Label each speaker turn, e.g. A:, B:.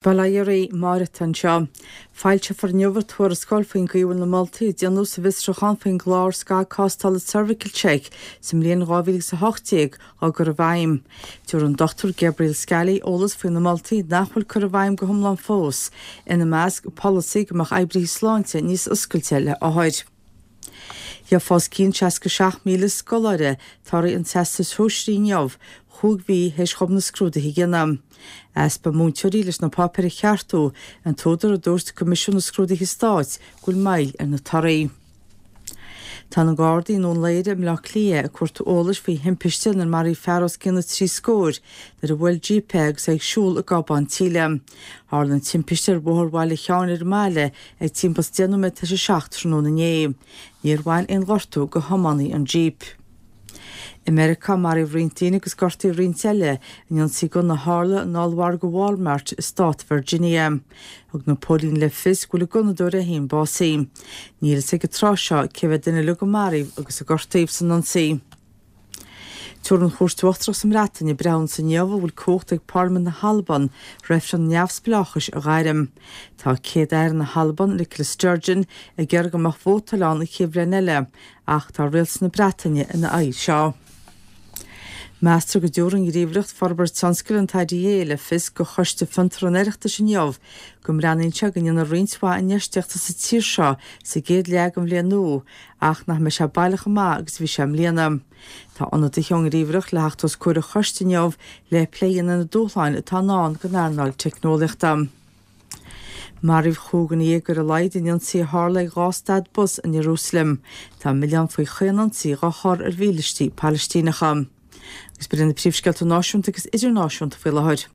A: Bail ó Dhia oraibh, Máire atá anseo. Foilseofar inniu an tuarascáil faoin gcaoi a bhfuil na moltaí a déanadh sa bhfiosrúchán faoin gclár scagthástála CervicalCheck sa mbliain 2018 á gcur i bhfeidhm. Tabharfaidh an Dr Gabriel Scally eolas faoi na moltaí nach bhfuil curtha i bhfeidhm go hiomlán fós, ina measc, polasaí go mbeadh oibrithe sláinte níos oscailte le hothair. Gheofa os cionn 67,000 scoláire torthaí an Teastais Shóisearaigh inniu, chúig mhí théis dhóibh na scrúduithe a dhéanamh. Easpa múinteoirí leis na páipéir a cheartú an t-údar a dúirt Coimisiún na Scrúduithe Stáit go bhfuil moill ar na torthaí. Tá na Gardaí i nDún Laoghaire i mBleá Cliath ag cuartú eolais faoi thimpiste inar maraíodh fear os cionn na dtrí scóir nuair a bhuail jíp é agus é ag siúl i gCábán tSíle. Tharla an timpiste ar Bhóthar Bhaile Sheáin ar an mbaile ag timpeall is 10 nóiméad tar éis a 7 tráthnóna inné. Níor bhain aon ghortú go thiománaí an jíp. I Meiriceá, maraíodh roinnt daoine agus gortaíodh roinnt eile in ionsaí gunna a tharla in ollmhargadh Walmart i stát Virginia. Thug na póilíní le fios go bhfuil an gunnadóir é féin básaithe. Níl a fhios ag an tráth seo cé mhéad duine uilig a maraíodh agus a gortaíodh san ionsaí. Tabharfaidh an Chúirt Uachtarach sa mBreatain a breithiúnas inniu an bhfuil cumhacht ag Parlaimint na hAlban reifreann neamhspleáchais a ghairm. Tá Céad-Aire na hAlban, Nicola Sturgeon, ag iarraidh go mbeadh vótáil ann an chéad bhliain eile ach tá rialtas na Breataine ina aghaidh seo. Meastar go dtabharfaidh an Ghníomhaireacht Forbartha Tionscail, an IDA, le fios do Choiste Fiontar an Oireachtais inniu go mbreathnaíonn sé go ndéanfar roinnt mhaith infheistíochta sa tír seo sa gcéad leath den bhliain nua ach nach mbeidh sé baileach chomh maith agus a bhí sé i mbliana. Tá ionadaithe ón nGníomhaireacht le theacht os comhair an choiste inniu le plé a dhéanamh ar na dúshláin atá i ndán don earnáil teicneolaíochta. Maraíodh chúig dhuine dhéag ar a laghad in ionsaí a tharla ag 2 stad bus in Iarúsailéim. Tá milleán faoi chaon ionsaí dhá chur ar mhílístí Palaistíneacha. Agus b'in iad na príomhscéalta náisiúnta agus idirnáisiúnta faoi láthair.